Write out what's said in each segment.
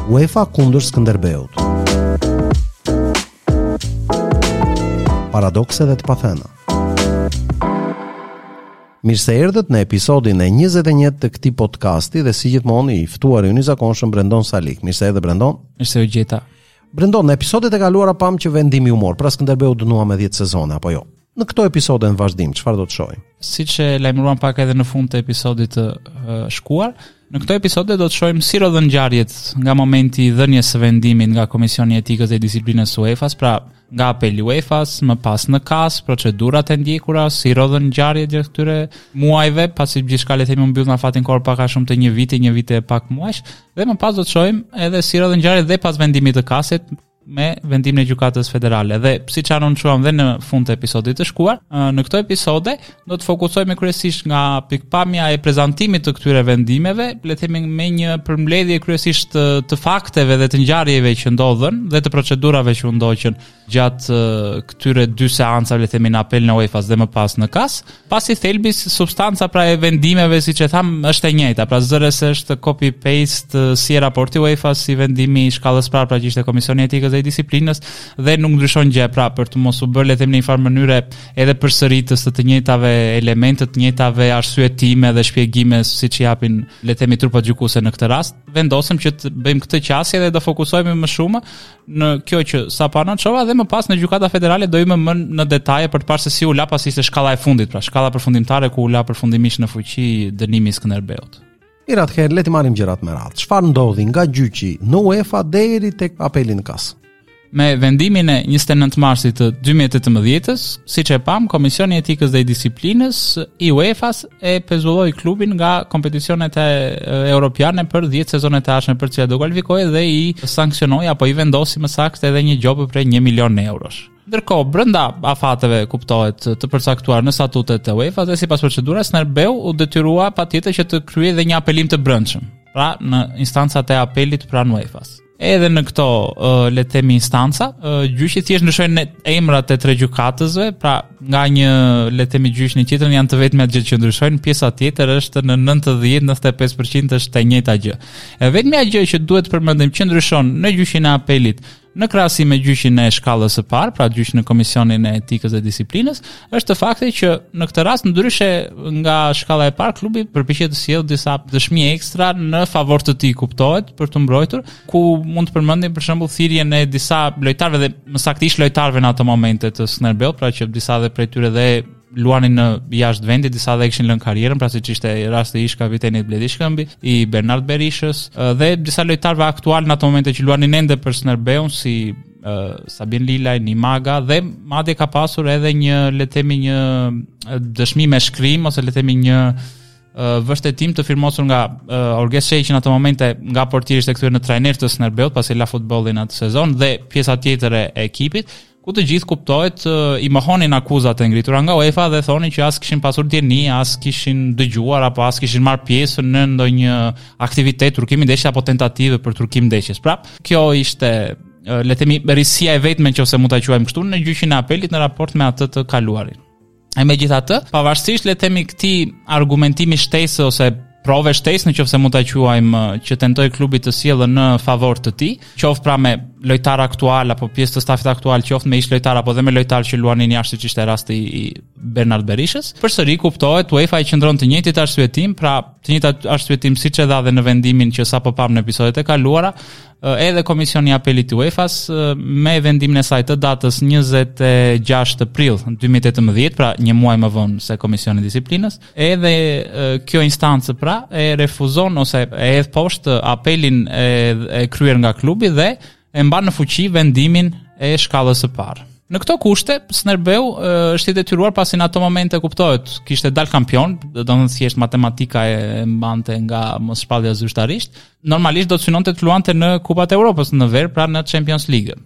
UEFA kundër Skënderbeut. Paradokse dhe të pathëna. Mirë se erdhët në episodin e 21 të këtij podcasti dhe si gjithmonë i ftuari ynë i zakonshëm Brendon Salik. Mirë se erdhe Brendon. Mirë se u gjeta. Brendon, në episodet e kaluara pamë që vendimi u mor, pra Skënderbeu u dënua me 10 sezone apo jo. Në këto episode në vazhdim, çfarë do të shohim? Siç e lajmëruam pak edhe në fund të episodit të shkuar, në këto episode do të shohim si rrodhën ngjarjet nga momenti i dhënies së vendimit nga Komisioni i Etikës dhe Disiplinës së UEFA-s, pra nga apeli i UEFA-s, më pas në KAS, procedurat e ndjekura, si rrodhën ngjarjet gjatë këtyre muajve, pasi gjithçka le të themi u mbyll në afatin kohor pak a shumë të një viti, një vit e pak muajsh, dhe më pas do të shohim edhe si rrodhën ngjarjet dhe pas vendimit të KAS-it me vendimin e Gjykatës Federale. Dhe siç anoncuam dhe në fund të episodit të shkuar, në këto episode do të fokusohemi kryesisht nga pikëpamja e prezantimit të këtyre vendimeve, le të themi me një përmbledhje kryesisht të, të fakteve dhe të ngjarjeve që ndodhën dhe të procedurave që u ndoqën gjatë këtyre dy seancave, le të themi në apel në UEFA-s dhe më pas në KAS. Pasi thelbi substanca pra e vendimeve siç e thamë është e njëjta, pra zëre se është copy paste si raporti UEFA si vendimi i shkallës parë pra që ishte Komisioni i Etikës dhe i Disiplinës dhe nuk ndryshon gjë pra për të mos u bërë le të themi në një farë mënyre edhe përsëritës të të njëjtave elemente, të njëjtave arsyetime dhe shpjegime siç japin le të themi trupat gjykuese në këtë rast, vendosëm që të bëjmë këtë qasje dhe do fokusohemi më shumë në kjo që sapo anoncova dhe më pas në Gjykata Federale do hyjmë më në detaje për të parë se si u la pasi ishte shkalla e fundit, pra shkalla përfundimtare ku u la përfundimisht në fuqi dënimi i Skënderbeut. Mirë atëherë le t'i marrim gjërat me radhë. Çfarë ndodhi nga gjyqi në UEFA deri tek apeli në KAS? Me vendimin e 29 marsit të 2018-ës, siç e pamë, Komisioni i Etikës dhe i Disiplinës i UEFA-s e pezulloi klubin nga kompeticionet e, europiane për 10 sezonet e ardhshme për të cilat do kualifikohej dhe i sanksionoi apo i vendosi më saktë edhe një gjobë prej 1 milion eurosh. Ndërkohë, brenda afateve kuptohet të përcaktuar në statutet e UEFA dhe sipas procedurës, Skënderbeu u detyrua patjetër që të kryejë dhe një apelim të brendshëm, pra në instancat e apelit pranë UEFA-s. Edhe në këto, le të themi instanca, gjyqi thjesht ndryshojnë emrat e tre gjykatësve, pra nga një le të themi gjyq në tjetrin janë të vetmet gjë që ndryshojnë, pjesa tjetër është në 90-95% është e njëjta gjë. E vetmja gjë që duhet të përmendim që ndryshon në gjyqin e apelit në krahasim me gjyqin e shkallës së parë, pra gjyqin në Komisionin e Etikës dhe Disiplinës, është fakti që në këtë rast ndryshe nga shkalla e parë, klubi përpiqet të sjellë disa dëshmi ekstra në favor të tij, kuptohet, për t'u mbrojtur, ku mund të përmendim për shembull thirrjen e disa lojtarëve dhe më saktë ish lojtarëve në ato momente të Skënderbeut, pra që disa dhe prej tyre dhe luanin në jashtë vendit, disa dhe kishin lënë karrierën, pra siç ishte rasti i ish kapitenit Bledi Shkëmbi, i Bernard Berishës dhe disa lojtarëve aktualë në ato momente që luanin ende për Skënderbeun si uh, Sabin Lilaj, Nimaga dhe madje ka pasur edhe një le të themi një dëshmi me shkrim ose le të themi një vërtetim të firmosur nga uh, Orges Shehi që në ato momente nga portier ishte kthyer në trajner të Skënderbeut pasi la futbollin atë sezon dhe pjesa tjetër e ekipit ku të gjithë kuptohet i mohonin akuzat e ngritura nga UEFA dhe thonin që as kishin pasur dijeni, as kishin dëgjuar apo as kishin marrë pjesë në ndonjë aktivitet trukimi ndeshje apo tentative për trukim ndeshjes. Pra, kjo ishte le të themi risia e vetme nëse mund ta quajmë kështu në gjyqin e apelit në raport me atë të kaluarin. E megjithatë, pavarësisht le të themi këtij argumentimi shtesë ose prove shtesë në qoftë se mund ta quajmë që tentoi klubi të sjellë në favor të tij, qoftë pra me lojtarë aktual apo pjesë të stafit aktual, qoftë me ish lojtarë apo dhe me lojtarë që luanin jashtë siç ishte rasti i Bernard Berishës. Përsëri kuptohet UEFA i qëndron të njëjtit arsyetim, pra të njëjtat arsyetim siç e dha dhe në vendimin që sapo pamë në episodet e kaluara, edhe Komisioni i Apelit të UEFA-s me vendimin e saj të datës 26 prill 2018, pra një muaj më vonë se Komisioni i Disiplinës, edhe kjo instancë pra e refuzon ose e hedh poshtë apelin e, e kryer nga klubi dhe e mban në fuqi vendimin e shkallës së parë. Në këto kushte, Skënderbeu është i detyruar pasi në ato momente kuptohet, kishte dal kampion, do të thotë thjesht matematika e mbante nga mos shpallja zyrtarisht, normalisht do të synonte të luante në Kupat e Europës në verë, pra në Champions League.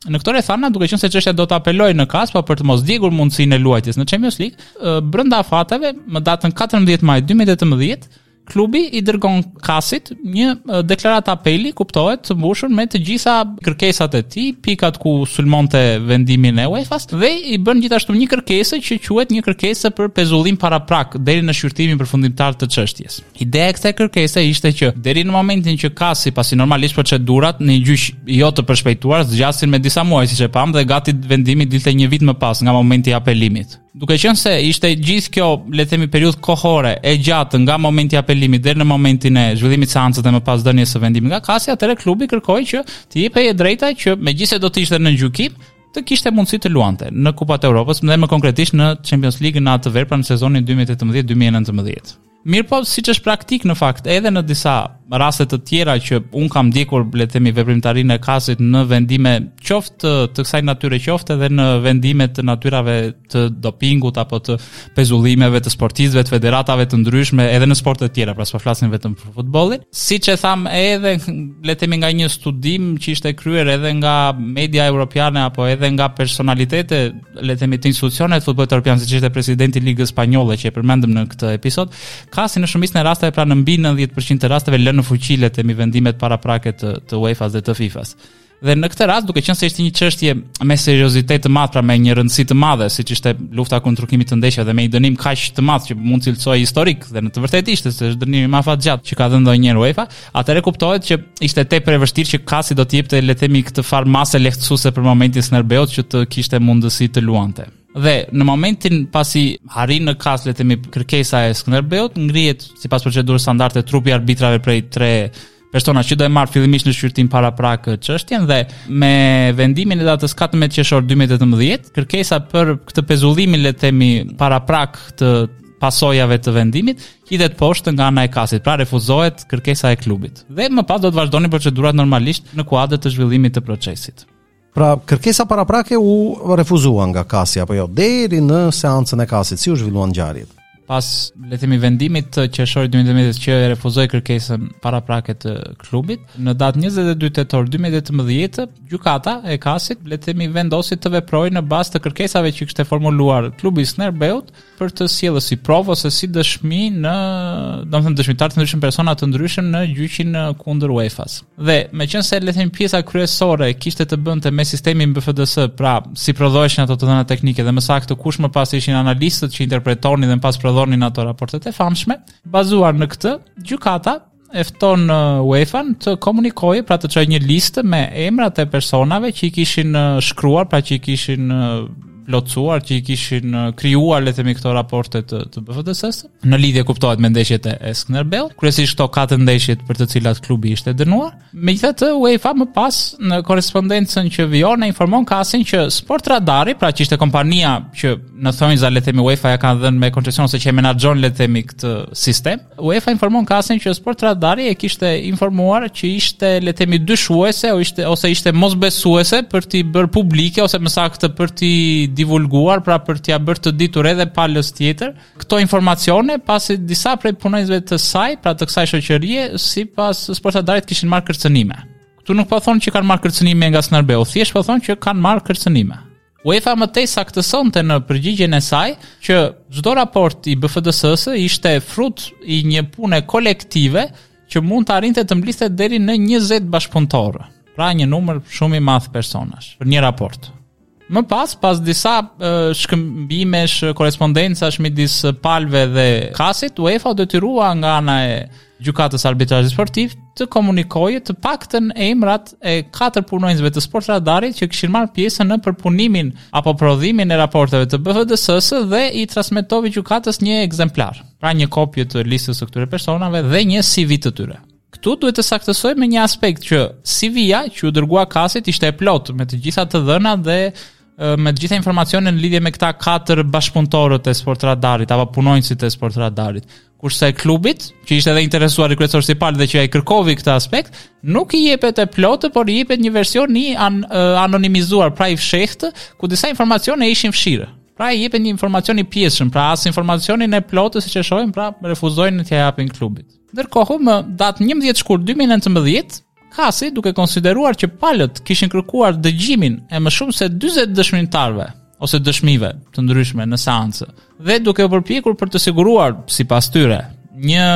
Në këto rrethana, duke qenë se çështja do të apelojë në KAS, po për të mos djegur mundësinë e luajtjes në Champions League, brenda afateve, më datën 14 maj 2018, Klubi i dërgon KAS-it një deklaratë apeli, kuptohet, të mbushur me të gjitha kërkesat e tij, pikat ku sulmonte vendimin e UEFA-s dhe i bën gjithashtu një kërkesë që quhet një kërkesë për pezullim paraprak deri në shqyrtimin përfundimtar të çështjes. Ideja e kësaj kërkese ishte që deri në momentin që KAS-i, pasi normalisht procedurat në një gjyq jo të përshpejtuar zgjasin me disa muaj siç e pamë dhe gati vendimi dilte një vit më pas nga momenti i apelimit. Duke qenë se ishte gjithë kjo, le të themi, periudhë kohore e gjatë nga momenti i apelimit deri në momentin e zhvillimit të seancës dhe më pas dhënies së vendimit nga KAS-i, atëherë klubi kërkoi që t'i jepej e drejta që megjithëse do të ishte në gjykim, të kishte mundësi të luante në Kupat e Europës dhe më konkretisht në Champions League në atë verë, pra në sezonin 2018-2019. Mirëpo, siç është praktikë në fakt, edhe në disa raste të tjera që unë kam ndjekur, le të themi, veprimtarinë e KAS-it në vendime qoftë të, të kësaj natyre, qoftë edhe në vendime të natyrave të dopingut apo të pezullimeve të sportistëve, të federatave të ndryshme, edhe në sporte të tjera, pra s'po flasim vetëm për futbollin. Siç e thamë edhe, le të themi nga një studim që ishte kryer edhe nga media europiane apo edhe nga personalitete le të themi të institucioneve të futbollit europian, siç ishte presidenti i Ligës Spanjolle që e përmendëm në këtë episod, KAS-i në shumicën e rasteve pra në mbi 90% të rasteve lë në fuqi le të themi vendimet paraprake të të UEFA-s dhe të FIFA-s. Dhe në këtë rast, duke qenë se ishte një çështje me seriozitet të madh, pra me një rëndësi të madhe, siç ishte lufta kundër trukimit të ndeshjeve dhe me një dënim kaq të madh që mund të cilësohej historik dhe në të vërtetë ishte se është dënimi më afatgjatë që ka dhënë ndonjëherë UEFA, Atëherë kuptohet që ishte tepër e vështirë që KAS-i do të jepte le të themi këtë farë mase lehtësuese për momentin Skënderbeut që të kishte mundësi të luante. Dhe në momentin pasi arrin në KAS le të themi kërkesa e Skënderbeut, ngrihet sipas procedurës standarde trupi i arbitrave prej tre persona që do e marrë fillimisht në shqyrtim paraprak çështjen dhe me vendimin e datës 14 qershor 2018, kërkesa për këtë pezullimin le të themi paraprak të pasojave të vendimit, hidhet poshtë nga ana e KAS-it, pra refuzohet kërkesa e klubit. Dhe më pas do të vazhdonin procedurat normalisht në kuadër të zhvillimit të procesit. Pra, kërkesa paraprake u refuzua nga KAS-i apo jo, deri në seancën e KAS-it, si u zhvilluan ngjarjet? Pas, le të themi, vendimit të qershorit 2018 që e refuzoi kërkesën paraprake të klubit, në datë 22 tetor 2018, gjykata e KAS-it, le të themi, vendosi të veprojë në bazë të kërkesave që kishte formuluar klubi i Skënderbeut, për të sjellë si provë ose si dëshmi në, domethënë dëshmitarë të ndryshëm, persona të ndryshëm në gjyqin kundër UEFA-s. Dhe meqenëse le të themi pjesa kryesore kishte të bënte me sistemin BFDS, pra si prodhoheshin ato të dhëna teknike dhe më saktë kush më pas ishin analistët që interpretonin dhe më pas prodhonin ato raportet e famshme, bazuar në këtë, gjykata e fton UEFA-n të komunikojë, pra të çojë një listë me emrat e personave që i kishin shkruar, pra që i kishin plotësuar, që i kishin krijuar le të themi këto raporte të, të BFDS-së, në lidhje kuptohet me ndeshjet e Skënderbeut, kryesisht këto katër ndeshjet për të cilat klubi ishte dënuar. Megjithatë, UEFA më pas në korrespondencën që vijon e informon KAS-in që Sportradari, pra që ishte kompania që në thonjza le të themi UEFA ja ka dhënë me koncesion ose që e menaxhon le të themi këtë sistem, UEFA informon KAS-in që Sportradari e kishte informuar që ishte le të themi dyshuese ose ishte ose ishte mosbesuese për t'i bërë publike ose më saktë për t'i divulguar, pra për t'ia bërë të ditur edhe palës tjetër këto informacione, pasi disa prej punonjësve të saj, pra të kësaj shoqërie, sipas Sportradarit kishin marrë kërcënime. Këtu nuk po thonë që kanë marrë kërcënime nga Skënderbeu, thjesht po thonë që kanë marrë kërcënime. UEFA më tej saktësonte në përgjigjen e saj që çdo raport i BFDS-së ishte frut i një pune kolektive që mund të arrinte të mblidhte deri në 20 bashkëpunëtorë, pra një numër shumë i madh personash për një raport. Më pas, pas disa shkëmbimesh, korrespondencash midis palëve dhe KAS-it, UEFA u detyrua nga ana e Gjykatës Arbitrazhit Sportiv të komunikojë të paktën emrat e katër punonjësve të Sportradarit që kishin marrë pjesë në përpunimin apo prodhimin e raporteve të BFDS-së dhe i transmetoi gjykatës një ekzemplar, pra një kopje të listës së këtyre personave dhe një CV të tyre. Këtu duhet të saktësojmë një aspekt që CV-ja që u dërgua KAS-it ishte e plotë me të gjitha të dhënat dhe me të gjitha informacionet në lidhje me këta katër bashkëpunëtorët e Sportradarit apo punonjësit e Sportradarit. Kurse klubit, që ishte edhe interesuari kryesor si palë dhe që ai kërkovi këtë aspekt, nuk i jepet e plotë, por i jepet një version i an, anonimizuar, pra i fshehtë, ku disa informacione ishin fshirë. Pra i jepet një informacion i pjesshëm, pra as informacionin e plotë siç e shohim, pra refuzojnë t'ia japin klubit. Ndërkohë, më datë 11 shkurt 2019, KAS-i, duke konsideruar që palët kishin kërkuar dëgjimin e më shumë se 40 dëshmitarëve ose dëshmive të ndryshme në seancë dhe duke u përpjekur për të siguruar sipas tyre. një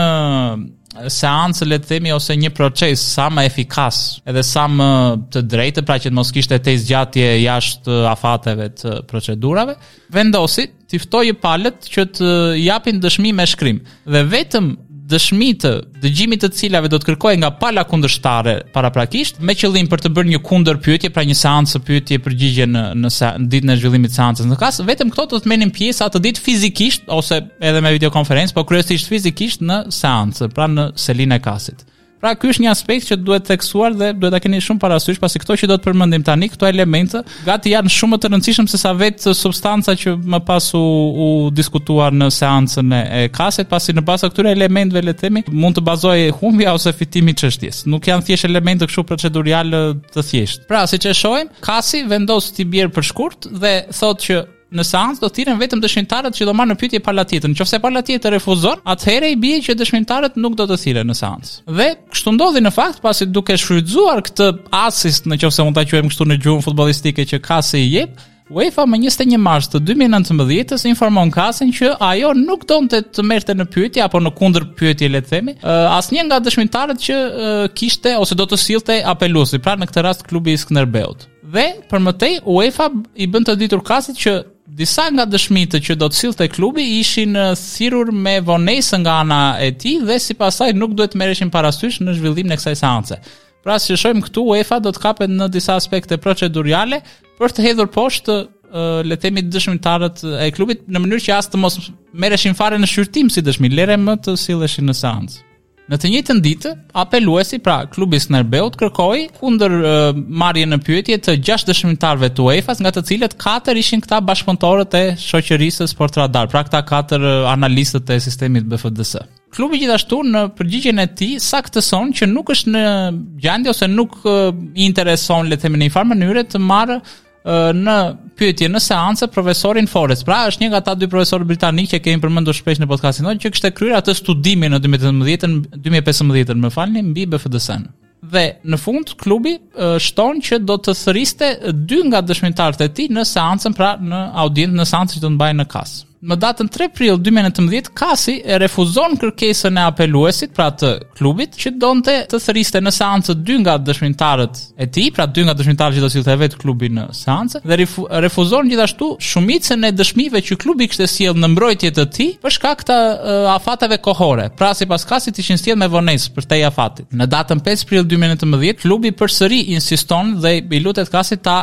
seancë le të themi ose një proces sa më efikas edhe sa më të drejtë, pra që të mos kishte tejzgjatje jashtë afateve të procedurave, vendosi t'i ftojë palët që të japin dëshmi me shkrim dhe vetëm dëshmitë dëgjimi të cilave do të kërkohej nga pala kundërshtare paraprakisht me qëllim për të bërë një kundërpyetje, pra një seancë pyetje përgjigje në në, në ditën e zhvillimit të seancës në KAS, vetëm këto do të merrnin pjesë atë ditë fizikisht ose edhe me videokonferencë, po kryesisht fizikisht në seancë, pra në selinë e KAS-it. Pra ky është një aspekt që duhet theksuar dhe duhet ta keni shumë parasysh, pasi këto që do të përmendim tani, këto elemente gati janë shumë më të rëndësishëm se sa vetë substanca që më pas u, u diskutua në seancën e, e KAS-it, pasi në bazë të këtyre elementëve le të themi, mund të bazohej humbja ose fitimi i çështjes. Nuk janë thjesht elemente kështu proceduriale të thjeshtë. Pra, siç e shohim, KAS-i vendos t'i bjerë për shkurt dhe thotë që Në seancë do thirren vetëm dëshmitarët që do marrë në pyetje pala tjetër. Nëse pala tjetër refuzon, atëherë i bie që dëshmitarët nuk do të thirren në seancë. Dhe kështu ndodhi në fakt, pasi duke shfrytëzuar këtë asist, në qoftë se mund ta quajmë kështu në gjuhën futbollistike që KAS-i i jep, UEFA më 21 mars të 2019-ës informon KAS-in që ajo nuk donte të merrte në pyetje apo në kundërpyetje le të themi, asnjë nga dëshmitarët që kishte ose do të sillte apeluesi, pra në këtë rast klubi i Skënderbeut. Dhe për më tej UEFA i bën të ditur KAS-it që disa nga dëshmitë që do të sillte klubi ishin thirrur me vonesë nga ana e tij dhe sipas saj nuk duhet të merreshin parasysh në zhvillimin e kësaj seance. Pra siç shohim këtu UEFA do të kapet në disa aspekte proceduriale për të hedhur poshtë le të themi dëshmitarët e klubit në mënyrë që as të mos merreshin fare në shqyrtim si dëshmi, lere më të silleshin në seancë. Në të njëjtën ditë, apeluesi, pra klubi i Skënderbeut, kërkoi kundër marrjen në pyetje të gjashtë dëshmitarëve të UEFA-s, nga të cilët katër ishin këta bashkëpunëtorët e shoqërisë Sportradar, pra këta katër analistët e sistemit BFDS. Klubi gjithashtu në përgjigjen e tij saktëson që nuk është në gjendje ose nuk i intereson le të themi në një farë mënyre të marrë në pyetje në seancë profesorin Forrest. Pra është një nga ata dy profesorë britanikë që kemi përmendur shpesh në podcastin tonë që kishte kryer atë studimin në 2018-ën, 2015-ën, më falni, mbi BFDS-n. Dhe në fund klubi shton që do të thërriste dy nga dëshmitarët e tij në seancën, pra në audiencë në seancën që do të mbahej në KAS. Më datën 3 prill 2019, KAS-i e refuzon kërkesën e apeluesit, pra të klubit, që donte të thërriste në seancë dy nga dëshmitarët e tij, pra dy nga dëshmitarët që do sillte vetë klubi në seancë, dhe refuzon gjithashtu shumicën e dëshmive që klubi kishte sjellë në mbrojtje të tij për shkak të afateve kohore. Pra sipas KAS-it ishin sjellë me vonesë përtej afatit. Në datën 5 prill 2019, klubi përsëri insiston dhe i lutet KAS-it ta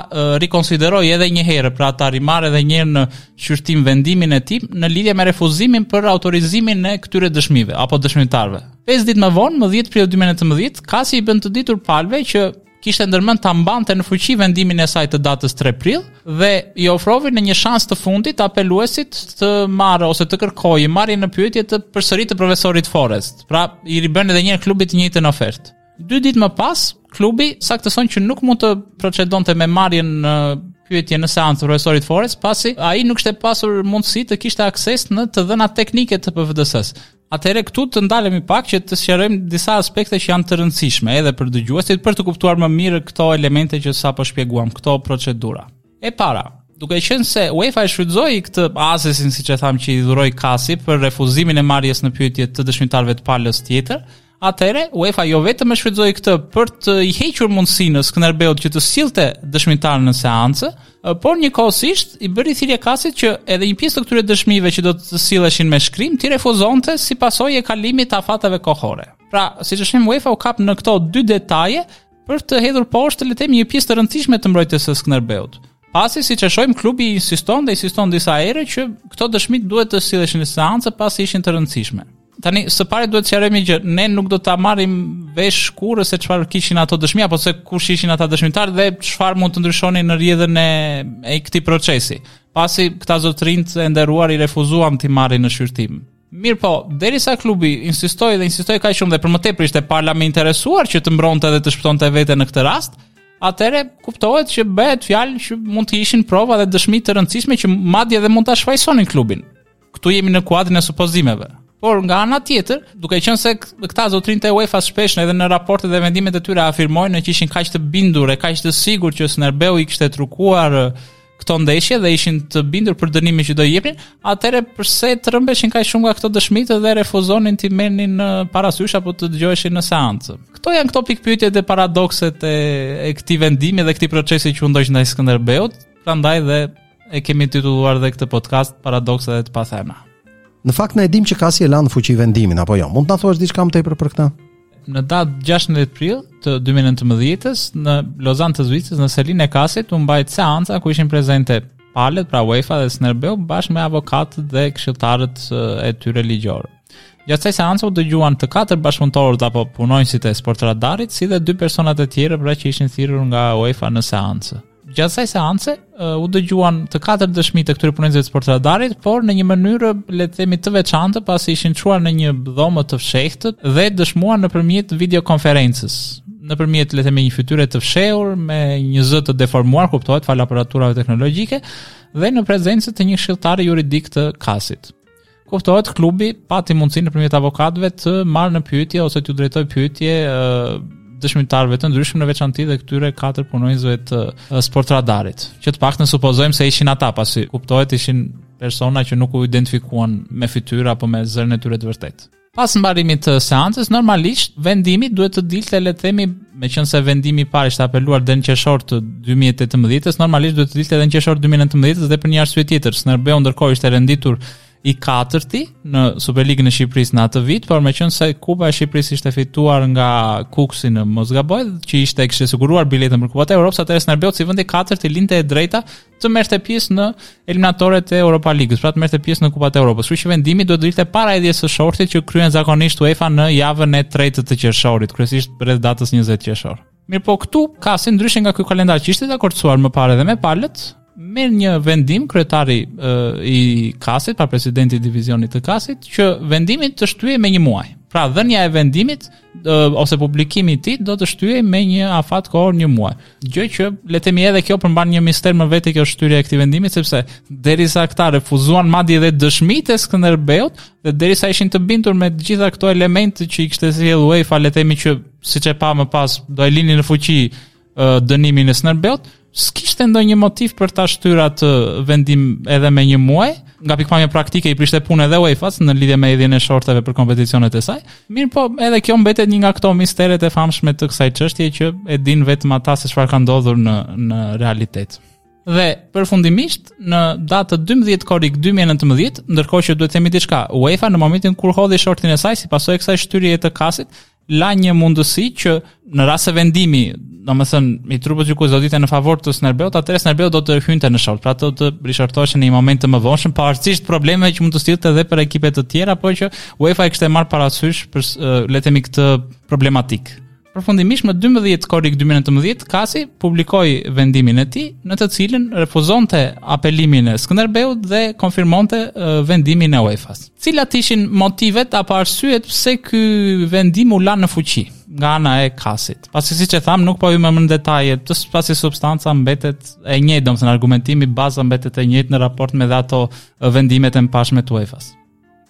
rikonsiderojë edhe një herë, pra ta rimarrë edhe një herë në shqyrtim vendimin e tij në lidhje me refuzimin për autorizimin e këtyre dëshmive apo dëshmitarëve. 5 ditë më vonë, më 10 prill 2019, KAS-i i bën të ditur palëve që kishte ndërmend ta mbante në fuqi vendimin e saj të datës 3 prill dhe i ofroi në një shans të fundit apeluesit të marrë ose të kërkojë marrjen në pyetje të përsëri të profesorit Forrest. Pra, i ribën edhe një herë klubit të njëjtën ofertë. Dy ditë më pas, klubi saktëson që nuk mund të procedonte me marrjen në pyetje në seancë të profesorit Forrest, pasi ai nuk kishte pasur mundësi të kishte akses në të dhënat teknike të BFDS-së. Atëherë këtu të ndalemi pak që të sqarojmë disa aspekte që janë të rëndësishme edhe për dëgjuesit për të kuptuar më mirë këto elemente që sapo shpjeguam, këto procedura. E para, duke qenë se UEFA e shfrytëzoi këtë asistin, siç e thamë që i dhuroi KAS-i për refuzimin e marrjes në pyetje të dëshmitarëve të palës tjetër, Atëherë, UEFA jo vetëm e shfrytëzoi këtë për të i hequr mundësinë Skënderbeut që të sillte dëshmitarë në seancë, por njëkohësisht i bëri thirrje KAS-it që edhe një pjesë të këtyre dëshmive që do të silleshin me shkrim t'i refuzonte si pasojë e kalimit të afateve kohore. Pra, siç e shohim UEFA u kap në këto dy detaje për të hedhur poshtë le të themi një pjesë të rëndësishme të mbrojtjes së Skënderbeut. Pasi siç e shohim klubi insiston dhe insiston disa herë që këto dëshmi duhet të silleshin në seancë pasi ishin të rëndësishme. Tani së pari duhet të sqarojmë një gjë, ne nuk do ta marrim vesh kurrë se çfarë kishin ato dëshmi apo se kush ishin ata dëshmitarë dhe çfarë mund të ndryshonin në rrjedhën e e këtij procesi. Pasi këta zotërinjtë e nderuar i refuzuan t'i marrin në shqyrtim. Mirëpo, derisa klubi insistoi dhe insistoi kaq shumë dhe për më tepër ishte pala më e interesuar që të mbronte dhe të shpëtonte veten në këtë rast, atëherë kuptohet që bëhet fjalë që mund të ishin prova dhe dëshmi të rëndësishme që madje edhe mund ta shfajësonin klubin. Këtu jemi në kuadrin e supozimeve. Por nga ana tjetër, duke qenë se këta zotërinjtë e UEFA shpesh edhe në raportet dhe vendimet e tyre afirmojnë që ishin kaq të bindur e kaq të sigurt që Skënderbeu i kishte trukuar. këto ndeshje dhe ishin të bindur për dënimin që do i jepnin, atëherë përse trembeshin kaq shumë nga këto dëshmitë dhe refuzonin t'i merrnin parasysh apo të dëgjoheshin në seancë. Këto janë këto pikëpyetjet dhe paradokset e, e këtij vendimi dhe këtij procesi që u ndoq ndaj Skënderbeut, prandaj dhe e kemi titulluar dhe këtë podcast Paradokse dhe të pathëna. Në fakt ne e dimë që Kasi e la në fuqi vendimin apo jo. Mund të na thuash diçka më tepër për këtë? Në datë 16 prill të 2019-ës në Lozan të Zvicrës në selinë e Kasit u mbajt seanca ku ishin prezente palët, pra UEFA dhe Skënderbeu bashkë me avokatët dhe këshilltarët e tyre ligjorë. Gjatë kësaj seance u dëgjuan të katër bashkëpunëtorët apo punonjësit e Sportradarit, si dhe dy personat e tjerë pra që ishin thirrur nga UEFA në seancë. Gjatë kësaj seance u dëgjuan të katër dëshmitë e këtyre punonjësve të Sportradarit, por në një mënyrë le të themi të veçantë, pasi ishin çuar në një dhomë të fshehtë dhe dëshmuan nëpërmjet videokonferencës, nëpërmjet le të themi një fytyre të fshehur me një zë të deformuar, kuptohet falë aparaturave teknologjike dhe në prezencë të një këshilltari juridik të KAS-it. Kuptohet, klubi pati mundësinë nëpërmjet avokatëve të marrë në pyetje ose t'u drejtojë pyetje dëshmitarëve të ndryshëm në veçanti dhe këtyre katër punonjësve të Sportradarit, që të paktën supozojmë se ishin ata, pasi kuptohet ishin persona që nuk u identifikuan me fytyrë apo me zërin e tyre të vërtetë. Pas mbarimit të seancës, normalisht vendimi duhet të dilte, le të themi, meqenëse vendimi i parë ishte apeluar deri në qershor të 2018-s, normalisht duhet të dilte edhe në qershor 2019-s dhe për një arsye tjetër. Skënderbeu ndërkohë ishte renditur i katërti në Superligën e Shqipërisë në atë vit, por meqenëse Kupa e Shqipërisë ishte fituar nga Kukësi në mos gaboj, që ishte kishte siguruar biletën për Kupat e Europës, atëherë Skënderbeut si vend i katërt i linte e drejta të merrte pjesë në eliminatoret e Europa Ligës, pra të merrte pjesë në Kupat e Europës. Kështu që vendimi duhet të dilte para hedhjes së shortit që kryen zakonisht UEFA në javën e tretë të qershorit, kryesisht rreth datës 20 qershor. Mirëpo këtu KAS-i ndryshe nga ky kalendar që ishte dakordësuar më parë edhe me palët, merr një vendim kryetari i KAS-it, pra presidenti i divizionit të KAS-it, që vendimi të shtyhej me një muaj. Pra dhënia e vendimit ose publikimi i tij do të shtyhej me një afat kohor një muaj. Gjë që le të themi edhe kjo përmban një mister më vete kjo shtyrja e këtij vendimi sepse derisa këta refuzuan madje edhe dëshmitë e Skënderbeut dhe derisa ishin të bindur me të gjitha këto elemente që i kishte sjellë UEFA le të themi që siç e pamë më pas do e linin në fuqi dënimin e Skënderbeut, s'kishte ndonjë motiv për ta shtyrë atë vendim edhe me një muaj. Nga pikëpamja praktike i prishte punë edhe UEFA-s në lidhje me hedhjen e shorteve për kompeticionet e saj. Mirëpo, edhe kjo mbetet një nga këto misteret e famshme të kësaj çështje që e dinë vetëm ata se çfarë ka ndodhur në në realitet. Dhe përfundimisht në datë 12 korrik 2019, ndërkohë që duhet të themi diçka, UEFA në momentin kur hodhi shortin e saj si pasojë e kësaj shtyrjeje të KAS-it, la një mundësi që në rast se vendimi, domethënë, i trupës gjykuese do dilte në favor të Skënderbeut, atëherë Skënderbeu do të hynte në short, pra do të rishortoheshin në një moment të mëvonshëm, pavarësisht problemeve që mund të sillte edhe për ekipe të tjera, por që UEFA e kishte marrë parasysh për le të themi këtë problematikë. Përfundimisht më 12 korrik 2019 KAS-i publikoi vendimin e tij, në të cilin refuzonte apelimin e Skënderbeut dhe konfirmonte vendimin e UEFA-s. Cilat ishin motivet apo arsyet pse ky vendim u la në fuqi nga ana e KAS-it? Pasi siç e thamë, nuk po hyjmë më në detaje, të pasi substanca mbetet e njëjtë, domethënë argumentimi baza mbetet e njëjtë në raport me dhe ato vendimet e mëparshme të UEFA-s.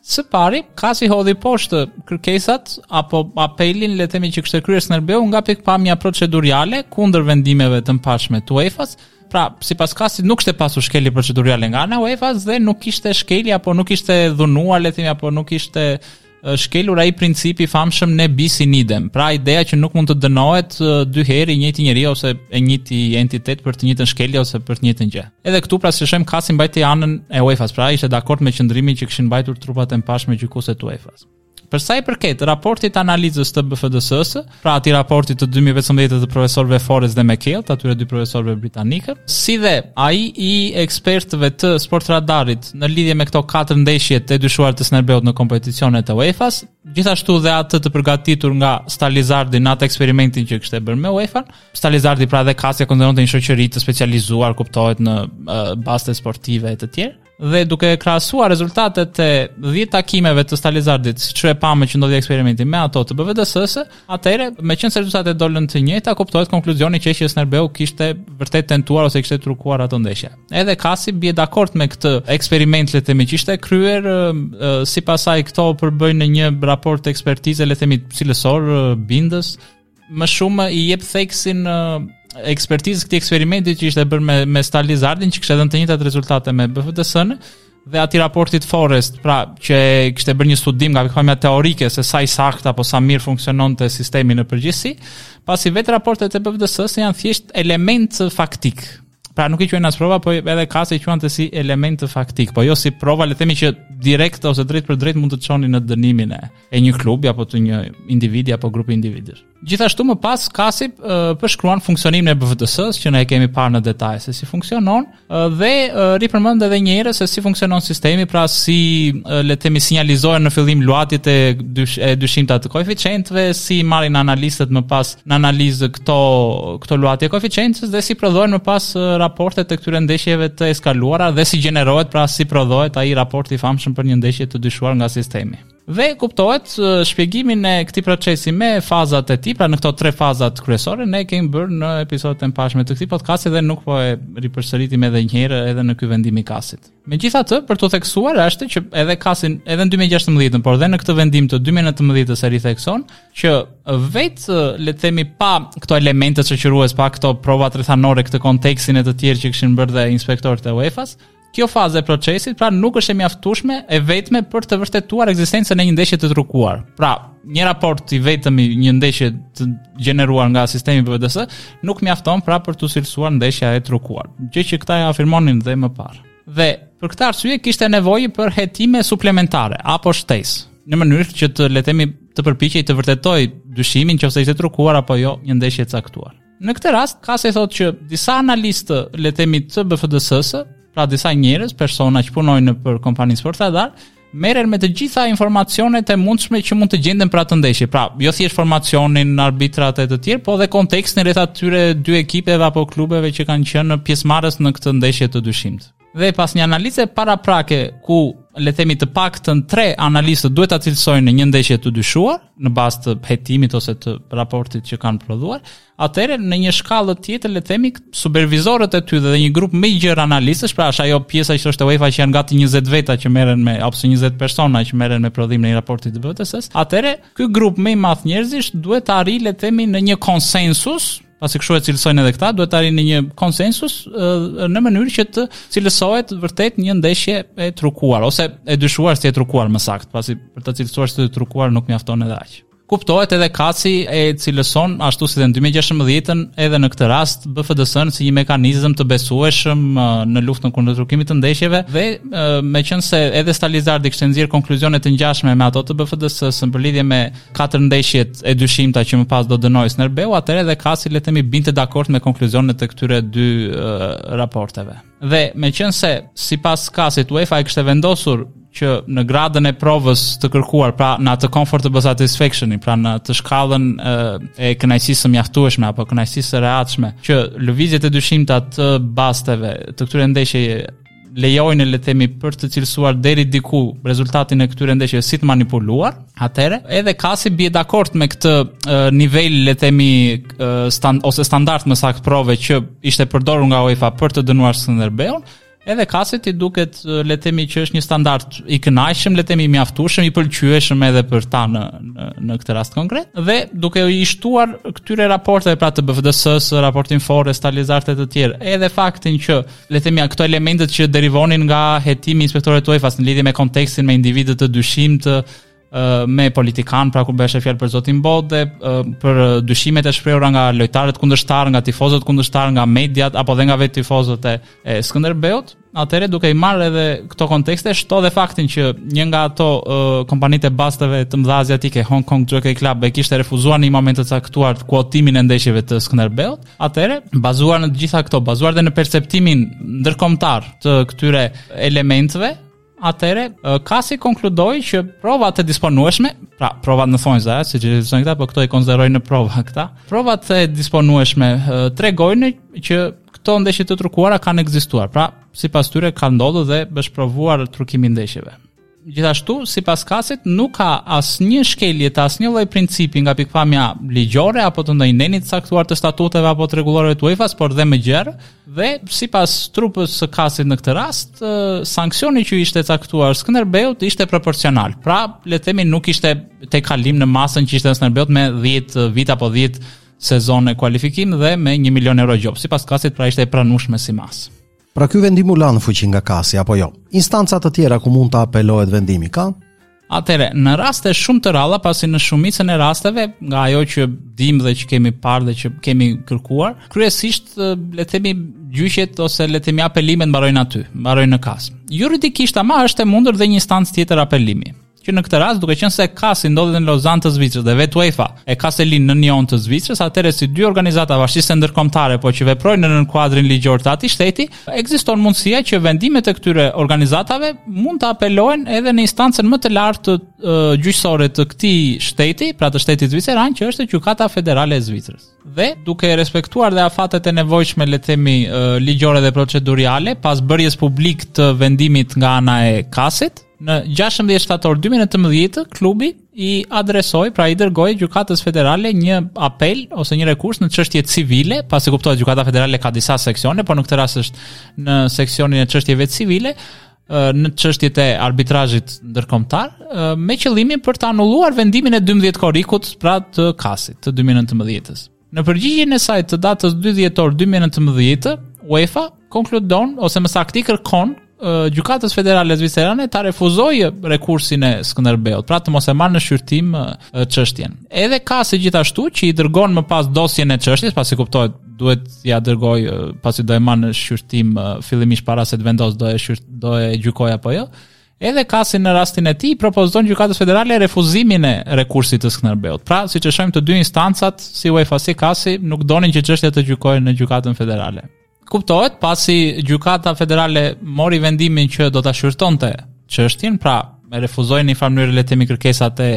Së pari, KAS-i hodhi poshtë kërkesat apo apelin, le të themi që kishte kryer Skënderbeu nga pikëpamja proceduriale kundër vendimeve të mëparshme të UEFA-s, Pra, sipas KAS-it nuk kishte pasur shkelje procedurale nga ana e UEFA-s dhe nuk kishte shkelje apo nuk ishte dhunuar, le të themi, apo nuk ishte shkelur ai principi i famshëm ne bis in idem. Pra ideja që nuk mund të dënohet dy herë i njëjti njeri ose e njëjti entitet për të njëjtën shkelje ose për të njëjtën gjë. Edhe këtu pra si shohim KAS-i mbajti anën e UEFA-s, pra ishte dakord me qëndrimin që kishin mbajtur trupat e mëparshme gjykuese të UEFA-s. Për sa i përket raportit të analizës të BFDS-së, pra atij raportit të 2015 të profesorëve Forrest dhe McHale, të atyre dy profesorëve britanikë, si dhe ai i ekspertëve të Sportradarit në lidhje me këto katër ndeshje të dyshuar të Skënderbeut në kompeticionet e UEFA-s, gjithashtu dhe atë të përgatitur nga Stalizardi në atë eksperimentin që kishte bërë me UEFA-n, Stalizardi pra dhe KAS-i e konsideronte një shoqëri të specializuar, kuptohet në uh, baste sportive e të tjerë. Dhe duke krahasuar rezultatet e 10 takimeve të Stalizardit, siç e pamë që ndodhi eksperimenti me ato të BFDS-së, atëherë, meqenëse rezultatet dolën të njëjta, kuptohet konkluzioni që që Skënderbeu kishte vërtet tentuar ose kishte trukuar ato ndeshje. Edhe KAS-i bie dakord me këtë eksperiment le të themi që ishte kryer, sipas saj këto përbëjnë një raport ekspertize le të themi cilësor, bindës, më shumë i jep theksin ekspertizës këtij eksperimenti që ishte bërë me me Stalizardin që kishte dhënë të njëjtat rezultate me BFDS-në dhe atij raportit Forest, pra që kishte bërë një studim nga pikëpamja teorike se sa i saktë apo sa mirë funksiononte sistemi në përgjithësi, pasi vetë raportet e BFDS-së janë thjesht element faktik. Pra nuk i quajnë as prova, po edhe KAS-i i quante si element faktik, po jo si prova, le të themi që direkt ose drejtpërdrejt mund të çonin në dënimin e, e një klubi apo të një individi apo grupi individësh. Gjithashtu më pas KAS-i përshkruan funksionimin e BFDS-së që ne e kemi parë në detaje se si funksionon dhe ripërmend edhe një herë se si funksionon sistemi, pra si le të themi sinjalizohen në fillim luhatjet e, dysh, e dyshimta të koeficientëve, si marrin analistët më pas në analizë këto këto luhatje koeficientësh dhe si prodhohen më pas raportet e këtyre ndeshjeve të eskaluara dhe si gjenerohet pra si prodhohet ai raport i famshëm për një ndeshje të dyshuar nga sistemi. Dhe kuptohet shpjegimin e këtij procesi me fazat e tij, pra në këto tre fazat kryesore ne kemi bërë në episodet e mëparshme të këtij podcasti dhe nuk po e ripërsëritim edhe një herë edhe në ky vendim i KAS-it. Megjithatë, për të theksuar është që edhe KAS-i edhe në 2016-ën, por edhe në këtë vendim të 2019-ës e rithekson që vetë le të themi pa këto elemente shoqërues, pa këto provat rrethanore, këtë kontekstin e të tjerë që kishin bërë dhe inspektorët e UEFA-s, Kjo fazë e procesit pra nuk është e mjaftueshme e vetme për të vërtetuar ekzistencën e një ndeshje të trukuar. Pra, një raport i vetëm i një ndeshje të gjeneruar nga sistemi BFDS nuk mjafton pra për t'u cilësuar ndeshja e trukuar, gjë që këta e afirmonin dhe më parë. Dhe për këtë arsye kishte nevojë për hetime suplementare apo shtesë, në mënyrë që të le të themi të përpiqej të vërtetojë dyshimin nëse ishte trukuar apo jo një ndeshje e caktuar. Në këtë rast, KAS-i thotë që disa analistë, le të themi të BFDS-së, pra disa njerëz, persona që punojnë nëpër kompaninë Sportradar, merren me të gjitha informacionet e mundshme që mund të gjenden për atë ndeshje. Pra, jo thjesht formacionin, arbitrat e të tjerë, po dhe kontekstin rreth atyre dy ekipeve apo klubeve që kanë qenë pjesëmarrës në këtë ndeshje të dyshimtë. Dhe pas një analize paraprake ku le të themi të paktën tre analistë duhet ta cilësojnë një ndeshje të dyshuar në bazë të hetimit ose të raportit që kanë prodhuar, atëherë në një shkallë tjetër le të themi supervizorët e tyre dhe një grup më i gjerë analistësh, pra është ajo pjesa që është e UEFA që janë gati 20 veta që merren me apo 20 persona që merren me prodhimin e një raporti të BFDS-së, atëherë ky grup më i madh njerëzish duhet të arrijë le të themi në një konsensus pasi kështu e cilësojnë edhe këta, duhet të arrijnë në një konsensus në mënyrë që të cilësohet vërtet një ndeshje e trukuar ose e dyshuar si e trukuar më saktë, pasi për ta cilësuar si të trukuar nuk mjafton edhe aq. Kuptohet edhe KAS-i e cilëson ashtu si dhe në 2016-ën edhe në këtë rast BFDS-n si një mekanizëm të besueshëm në luftën kundër trukimit të ndeshjeve dhe meqenëse edhe Stalizardi kishte nxjerrë konkluzione të ngjashme me ato të BFDS-së në lidhje me katër ndeshjet e dyshimta që më pas do dënohej Skënderbeu, atëherë edhe KAS-i le të themi binte dakord me konkluzionet e këtyre dy uh, raporteve. Dhe meqenëse sipas KAS-it UEFA e kishte vendosur që në gradën e provës të kërkuar, pra në atë comfortable satisfaction, pra në atë shkallën e kënaqësisë së mjaftueshme apo kënaqësisë së rehatshme, që lëvizjet e dyshimta të basteve të këtyre ndeshjeve lejojnë le të themi për të cilësuar deri diku rezultatin e këtyre ndeshjeve si të manipuluar, atëherë edhe KAS-i bie dakord me këtë nivel le të themi stand, ose standard më saktë prove që ishte përdorur nga UEFA për të dënuar Skënderbeun, edhe KAS-it i duket le të themi që është një standard i kënaqshëm, le të themi i mjaftueshëm, i pëlqyeshëm edhe për ta në në, në këtë rast konkret dhe duke i shtuar këtyre raporteve pra të BFDS-së, raportin Forest, Alizart e të tjerë, edhe faktin që le të themi këto elementët që derivonin nga hetimi i inspektorëve të UEFA-s në lidhje me kontekstin me individë të dyshimtë me politikan, pra kur bëhej fjalë për zotin Bode, për dyshimet e shprehura nga lojtarët kundërshtar, nga tifozët kundërshtar, nga mediat apo dhe nga vetë tifozët e, e Skënderbeut, atëherë duke i marrë edhe këto kontekste, shto dhe faktin që një nga ato uh, kompanitë e basteve të mëdha aziatike, Hong Kong Jockey Club, e kishte refuzuar në një moment të caktuar kuotimin e ndeshjeve të Skënderbeut, Atëherë, bazuar në të gjitha këto, bazuar dhe në perceptimin ndërkombëtar të këtyre elementëve, atëherë KAS-i konkludoi që provat e disponueshme, pra provat në thonjza, siç e thonë këta, po këto i konsiderojnë në prova këta. Provat e disponueshme tregojnë që këto ndeshje të trukuara kanë ekzistuar. Pra, sipas tyre ka ndodhur dhe është provuar trukimi i ndeshjeve. Gjithashtu, sipas KAS-it, nuk ka asnjë shkelje të asnjë lloj principi nga pikëpamja ligjore apo të ndonjë neni të caktuar të statuteve apo të rregulloreve të UEFA-s, por dhe më gjerë, dhe sipas trupës së KAS-it në këtë rast, sanksioni që ishte caktuar Skënderbeut ishte proporcional. Pra, le të themi nuk ishte tejkalim në masën që ishte Skënderbeut me 10 vite apo 10 sezon në kualifikim dhe me 1 milion euro gjobë. Sipas KAS-it pra ishte e pranueshme si masë. Pra ky vendim u la në fuqi nga KAS-i apo jo? Instanca të tjera ku mund të apelohet vendimi ka? Atëherë, në raste shumë të rralla, pasi në shumicën e rasteve, nga ajo që dimë dhe që kemi parë dhe që kemi kërkuar, kryesisht le të themi gjyqet ose le të themi apelimet mbarojnë aty, mbarojnë në KAS. Juridikisht ama është e mundur dhe një instancë tjetër apelimi. Që në këtë rast, duke qenë se KAS-i ndodhet në Lozanë të Zvicrës dhe vetë UEFA e ka selinë në Nyon të Zvicrës, atëherë si dy organizata bashkësisë ndërkombëtare, po që veprojnë në kuadrin ligjor të atij shteti, ekziston mundësia që vendimet e këtyre organizatave mund të apelohen edhe në instancën më të lartë gjyqësore të këtij shteti, pra të shtetit zviceran, që është Gjykata Federale e Zvicrës. Dhe duke respektuar dhe afatet e nevojshme, le të themi, ligjore dhe proceduriale, pas bërjes publik të vendimit nga ana e KAS-it, Në 16 shtator 2019, klubi i adresoi, pra i dërgoi Gjykatës Federale një apel ose një rekurs në çështje civile, pasi kuptohet Gjykata Federale ka disa seksione, por në këtë rast është në seksionin e çështjeve civile, në çështjet e arbitrazhit ndërkombëtar, me qëllimin për të anulluar vendimin e 12 korrikut, pra të KAS-it të 2019-s. Në përgjigjen e saj të datës 2 dhjetor 2019, UEFA konkludon ose më saktë i kërkon Gjykatës Federale Zvicerane ta refuzojë rekursin e Skënderbeut, pra të mos e marrë në shqyrtim çështjen. Edhe KAS-i gjithashtu që i dërgon më pas dosjen e çështjes, pasi kuptohet duhet ja dërgoj pasi do e marrë në shqyrtim fillimisht para se të vendos do e shqyrt, do e gjykoj apo jo. Edhe KAS-i në rastin e tij propozon Gjykatës Federale refuzimin e rekursit të Skënderbeut. Pra, siç e shohim të dy instancat, si UEFA si KAS-i, nuk donin që çështja të gjykohej në Gjykatën Federale. Kuptohet, pasi Gjykata Federale mori vendimin që do ta shqyrtonte çështjen, pra e refuzoi në një farë mënyrë le të themi kërkesat e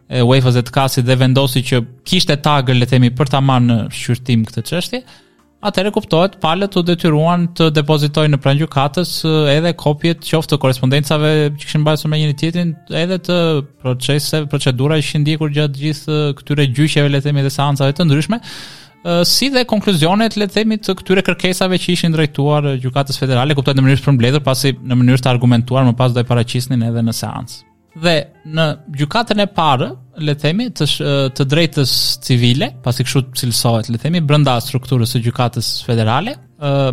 e UEFA-s dhe të KAS-it dhe vendosi që kishte tagër le të themi për ta marrë në shqyrtim këtë çështje. Atëherë kuptohet, palët u detyruan të depozitojnë në pranë gjykatës edhe kopjet qoftë të korrespondencave që kishin mbajtur me njëri tjetrin, edhe të proceseve, procedurave që ishin ndjekur gjatë gjithë këtyre gjyqeve, le të themi, dhe seancave të ndryshme, si dhe konkluzionet, le të themi, të këtyre kërkesave që ishin drejtuar gjykatës federale, kuptohet në mënyrë të përmbledhur, pasi në mënyrë të argumentuar më pas do e paraqisnin edhe në seancë. Dhe në gjykatën e parë, le të themi, të të drejtës civile, pasi kështu cilësohet, le të themi, brenda strukturës së gjykatës federale,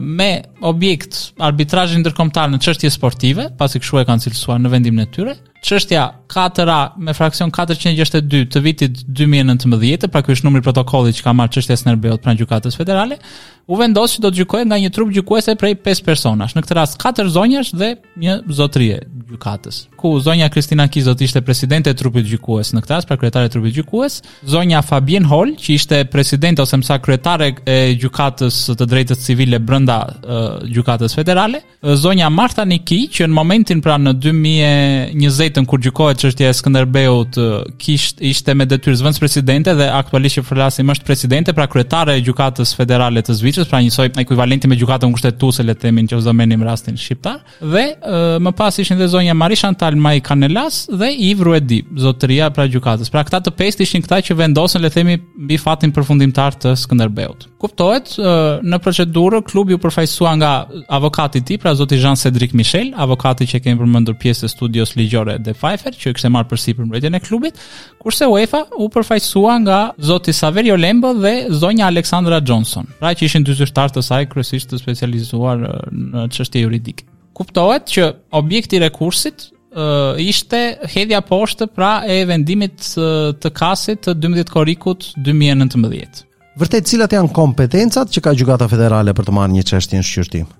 me objekt arbitrazhin ndërkombëtar në çështje sportive, pasi kështu e kanë cilësuar në vendimin e tyre. Çështja 4A me fraksion 462 të vitit 2019, pra ky është numri i protokollit që ka marrë çështja e Skënderbeut pranë gjykatës federale, u vendos që do të gjykohej nga një trup gjykuese prej 5 personash. Në këtë rast 4 zonjash dhe një zotërie gjykatës, ku zonja Kristina Kiz do të ishte presidente e trupit gjykues në këtë rast, pra kryetare e trupit gjykues, zonja Fabien Hol, që ishte presidente ose më saktë kryetare e gjykatës së të drejtës civile brenda uh, gjykatës federale, zonja Marta Niki, që në momentin pra në 2020-ën kur gjykohet çështja e Skënderbeut, kishte ishte me detyrë zëvendëspresidente dhe aktualisht që flasim është presidente, pra kryetare e gjykatës federale të Zvicrës, pra njësoj ekuivalenti me gjykatën kushtetuese le të themi nëse do merrnim rastin shqiptar. Dhe e, më pas ishin dhe zonja Marie Chantal May Canelas dhe Yves Ruedi, zotëria pra gjykatës. Pra këta të pestë ishin këta që vendosën le të themi mbi fatin përfundimtar të Skënderbeut. Kuptohet, në procedurë klubi u përfaqësua nga avokati i tij, pra zoti Jean Cedric Michel, avokati që kemi përmendur pjesë të studios ligjore De Pfeiffer, që kishte marrë përsipër mbrojtjen e klubit, kurse UEFA u përfaqësua nga zoti Saverio Lembo dhe zonja Alexandra Johnson, pra që ishin dy zyrtarë të saj kryesisht të specializuar në çështje juridike. Kuptohet që objekti i rekursit ishte hedhja poshtë pra e vendimit të KAS-it të 12 korrikut 2019. Vërtet cilat janë kompetencat që ka Gjykata Federale për të marrë një çështje në shqyrtim?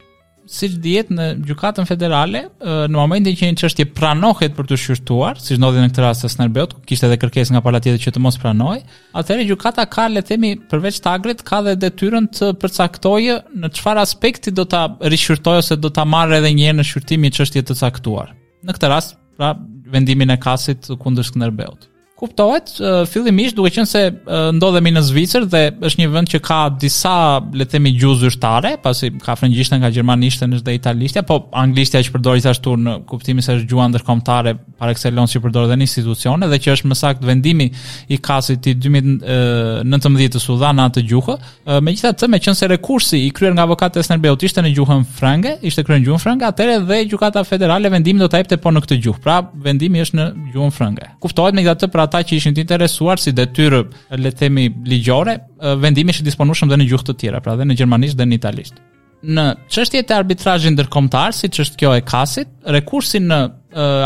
Siç dihet në Gjykatën Federale, në momentin që një çështje pranohet për t'u shqyrtuar, siç ndodhi në këtë rast të Skënderbeut, ku kishte edhe kërkesë nga pala tjetër që të mos pranohej, atëherë gjykata ka le të themi përveç tagrit ka dhe detyrën të përcaktojë në çfarë aspekti do ta rishqyrtojë ose do ta marrë edhe një herë në shqyrtim një çështje të caktuar. Në këtë rast, pra vendimin e KAS-it kundër Skënderbeut. Kuptohet, fillimisht duke qenë se ndodhemi në Zvicër dhe është një vend që ka disa, le të themi, gjuhë zyrtare, pasi ka frëngjishten, ka gjermanishten, është dhe italishtja, po anglishtja që përdoret gjithashtu në kuptimin se është gjuha ndërkombëtare par excellence që përdoret edhe në institucione dhe që është më saktë vendimi i KAS-it i 2019-s u dha në atë gjuhë. Megjithatë, meqenëse rekursi i kryer nga avokatët e Skënderbeut ishte në gjuhën frënge, ishte kryer në gjuhën frënge, atëherë dhe gjykata federale vendimin do ta jepte po në këtë gjuhë. Pra, vendimi është në gjuhën frënge. Kuptohet megjithatë, pra për ata që ishin të interesuar si detyrë, le të themi ligjore, vendimi është i disponueshëm dhe në gjuhë të tjera, pra dhe në gjermanisht dhe në italisht. Në çështjet e arbitrazhit ndërkombëtar, siç është kjo e KAS-it, rekursi në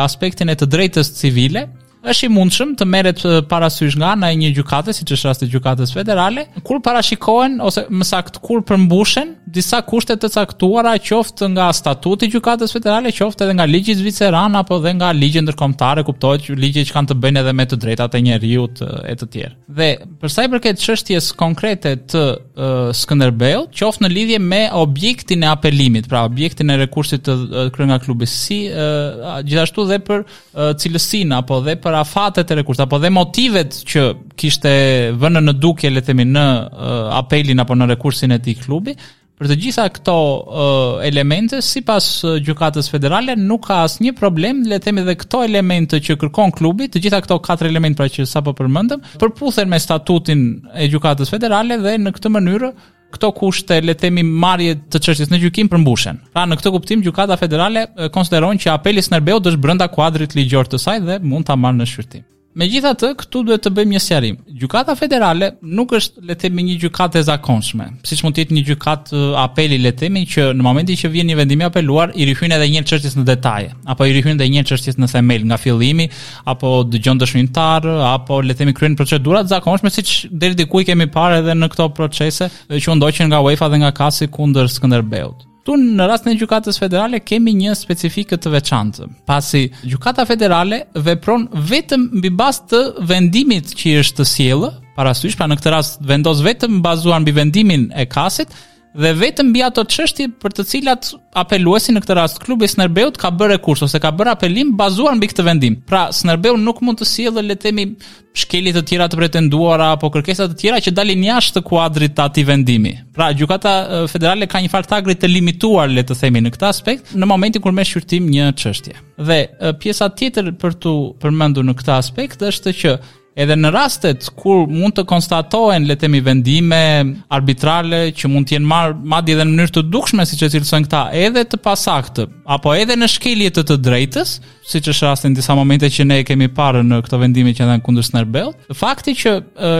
aspektin e të drejtës civile është i mundshëm të merret parasysh nga ana e një gjykate, siç është rasti i gjykatës federale, kur parashikohen ose më saktë kur përmbushen disa kushte të caktuara qoftë nga statuti i gjykatës federale, qoftë edhe nga ligji zviceran apo dhe nga ligje ndërkombëtare, kuptohet që ligje që kanë të bëjnë edhe me të drejtat e njeriut e të tjerë. Dhe për sa i përket çështjes konkrete të uh, Skënderbeut, qoftë në lidhje me objektin e apelimit, pra objektin e rekursit të uh, kryer nga klubi, si uh, gjithashtu dhe për uh, cilësinë apo dhe për afatet e rekursit apo dhe motivet që kishte vënë në dukje le të themi në uh, apelin apo në rekursin e tij klubi, Për të gjitha këto uh, elemente, sipas Gjykatës Federale, nuk ka asnjë problem, le të themi dhe këto elemente që kërkon klubi, të gjitha këto katër elemente pra që sapo përmendëm, përputhen me statutin e Gjykatës Federale dhe në këtë mënyrë këto kushte, le të themi, marrje të çështjes në gjykim përmbushen. Pra në këtë kuptim Gjykata Federale konsideron që apeli i Skënderbeut është brenda kuadrit ligjor të saj dhe mund ta marrë në shqyrtim. Megjithatë, këtu duhet të bëjmë një sqarim. Gjykata Federale nuk është, le të themi, një gjykatë e zakonshme, siç mund të jetë një gjykatë apeli, le të themi, që në momentin që vjen një vendim i apeluar, i rihyn edhe një herë çështjes në detaje, apo i rihyn edhe një herë çështjes në themel nga fillimi, apo dëgjon dëshmitar, apo le të themi kryen procedura të zakonshme siç deri diku i kemi parë edhe në këto procese që u ndoqën nga UEFA dhe nga KAS-i kundër Skënderbeut. Këtu në rastin e Gjykatës Federale kemi një specifikë të veçantë, pasi Gjykata Federale vepron vetëm mbi bazë të vendimit që i është sjellë, parasysh, pra në këtë rast vendos vetëm bazuar mbi vendimin e KAS-it dhe vetëm mbi ato çështje për të cilat apeluesi në këtë rast klubi i Skënderbeut ka bërë rekurs ose ka bërë apelim bazuar mbi këtë vendim. Pra Skënderbeu nuk mund të sjellë le të themi shkelje të tjera të pretenduara apo kërkesa të tjera që dalin jashtë kuadrit të atij vendimi. Pra, gjykata federale ka një farë tagri të limituar, le të themi në këtë aspekt, në momentin kur merr shqyrtim një çështje. Dhe pjesa tjetër për t'u përmendur në këtë aspekt është që edhe në rastet kur mund të konstatohen le të themi vendime arbitrale që mund të jenë marrë madje edhe në mënyrë të dukshme siç e cilësojnë këta, edhe të pasaktë apo edhe në shkelje të të drejtës, siç është rasti në disa momente që ne e kemi parë në këto vendime që janë dhënë kundër Skënderbeut. Fakti që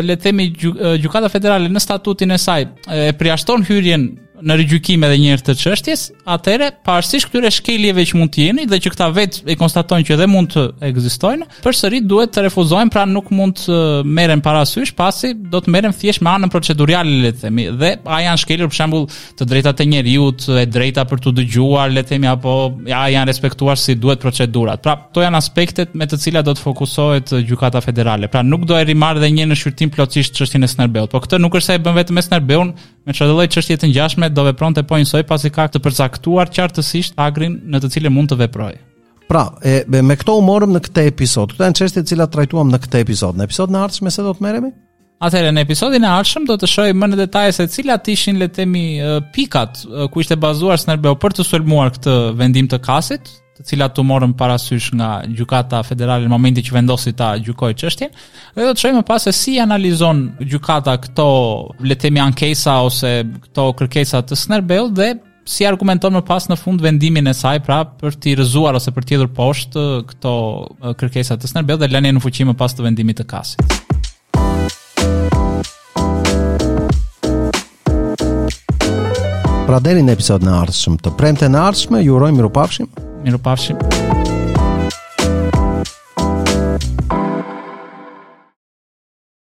le të themi Gjykata Federale në statutin e saj e përjashton hyrjen në rigjykim edhe një herë të çështjes, atëherë pavarësisht këtyre shkeljeve që mund të jenë dhe që këta vetë e konstatojnë që edhe mund të ekzistojnë, përsëri duhet të refuzohen, pra nuk mund të merren parasysh, pasi do të merren thjesht me anën procedurale le të themi, dhe a janë shkelur për shembull të drejtat e njeriut, e drejta për t'u dëgjuar, le të themi apo a janë respektuar si duhet procedurat. Pra, këto janë aspektet me të cilat do të fokusohet Gjykata Federale. Pra, nuk do e rimarrë dhe një në shqyrtim plotësisht çështjen e Skënderbeut. Po këtë nuk është se e bën vetëm me Skënderbeun, me çfarëdo lloj çështje të ngjashme do vepronte po njësoj pasi ka të përcaktuar qartësisht tagrin në të cilin mund të veprojë. Pra, e, me këto u morëm në këtë episod. Këto janë çështjet të cilat trajtuam në këtë episod. Në episodin e ardhshëm me se do të merremi? Atëherë në episodin e ardhshëm do të shohim më në detaje se cilat ishin le të themi pikat ku ishte bazuar Skënderbeu për të sulmuar këtë vendim të KAS-it, të cilat u morën parasysh nga Gjykata Federale në momentin që vendosi ta gjykojë çështjen, dhe do të shohim më pas se si analizon gjykata këto le të themi ankesa ose këto kërkesa të Skënderbeut dhe si argumenton më pas në fund vendimin e saj pra për t'i rrëzuar ose për t'i hedhur poshtë këto kërkesa të Skënderbeut dhe lënien në fuqi më pas të vendimit të KAS-it. Pra deri në episodin e ardhshëm të premten e ardhshme, ju urojmë mirupafshim. Mirupafshim.